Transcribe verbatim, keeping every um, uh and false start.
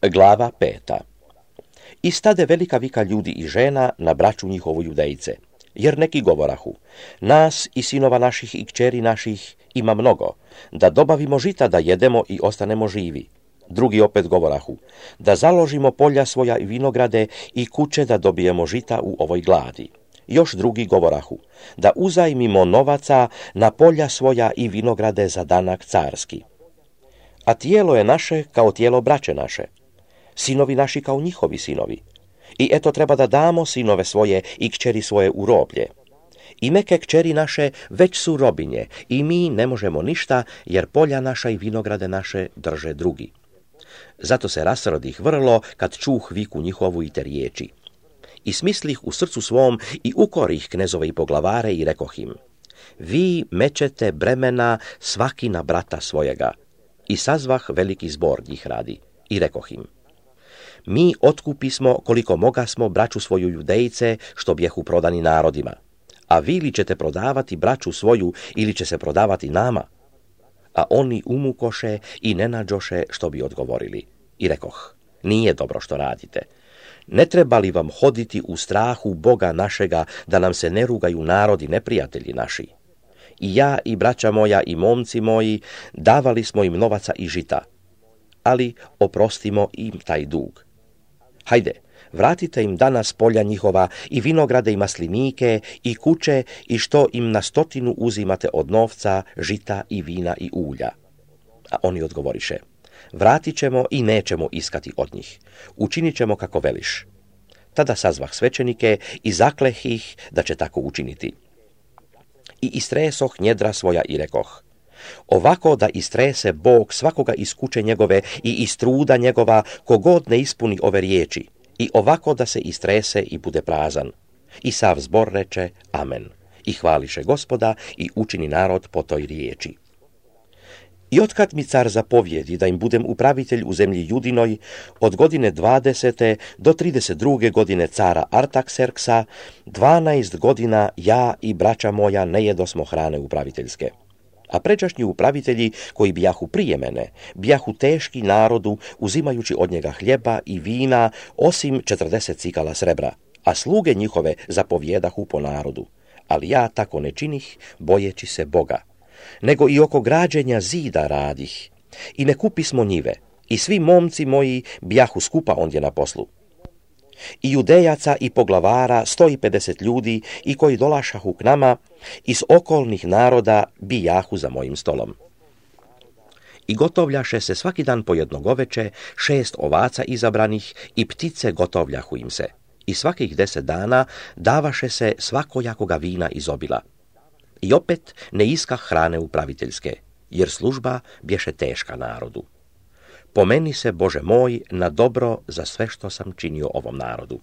Glava peta. I stade velika vika ljudi i žena na braću njihovu judejce, jer neki govorahu, nas i sinova naših i kćeri naših ima mnogo, da dobavimo žita da jedemo i ostanemo živi. Drugi opet govorahu, da založimo polja svoja i vinograde i kuće da dobijemo žita u ovoj gladi. Još drugi govorahu, da uzajmimo novaca na polja svoja i vinograde za danak carski. A tijelo je naše kao tijelo braće naše, sinovi naši kao njihovi sinovi. I eto treba da damo sinove svoje i kćeri svoje u roblje. I meke kćeri naše već su robinje i mi ne možemo ništa, jer polja naša i vinograde naše drže drugi. Zato se rasrodih vrlo kad čuh viku njihovu i te riječi. I smislih u srcu svom i ukorih knezove i poglavare i rekoh im, vi mećete bremena svaki na brata svojega. I sazvah veliki zbor njih radi i rekoh im, mi otkupismo koliko mogasmo braću svoju judejce što bjehu prodani narodima, a vi li ćete prodavati braću svoju ili će se prodavati nama? A oni umukoše i ne nađoše što bi odgovorili. I rekoh, nije dobro što radite. Ne treba li vam hoditi u strahu Boga našega da nam se ne rugaju narodi neprijatelji naši? I ja i braća moja i momci moji davali smo im novaca i žita, ali oprostimo im taj dug. Hajde, vratite im danas polja njihova i vinograde i maslinike i kuće i što im na stotinu uzimate od novca, žita i vina i ulja. A oni odgovoriše, vratit ćemo i nećemo iskati od njih. Učinit ćemo kako veliš. Tada sazvah svećenike i zakleh ih da će tako učiniti. I istresoh njedra svoja i rekoh, ovako da istrese Bog svakoga iz kuće njegove i iz truda njegova kogod ne ispuni ove riječi, i ovako da se istrese i bude prazan. I sav zbor reče amen. I hvališe Gospoda i učini narod po toj riječi. I otkad mi car zapovjedi da im budem upravitelj u zemlji Judinoj, od godine dvadesete do trideset druge godine cara Artakserksa, dvanaest godina ja i braća moja ne jedosmo hrane upraviteljske. A pređašnji upravitelji koji bijahu prije mene, bijahu teški narodu, uzimajući od njega hljeba i vina, osim četrdeset cikala srebra, a sluge njihove zapovjedahu po narodu. Ali ja tako ne činih, bojeći se Boga, nego i oko građenja zida radih. I ne kupismo njive, i svi momci moji bijahu skupa ondje na poslu. I judejaca i poglavara sto i pedeset ljudi i koji dolašahu k nama iz okolnih naroda bijahu za mojim stolom. I gotovljaše se svaki dan po jedno goveče, šest ovaca izabranih i ptice gotovljahu im se. I svakih deset dana davaše se svakojakoga vina iz obila. I opet ne iskah hrane upraviteljske, jer služba bješe teška narodu. Pomeni se, Bože moj, na dobro za sve što sam činio ovom narodu.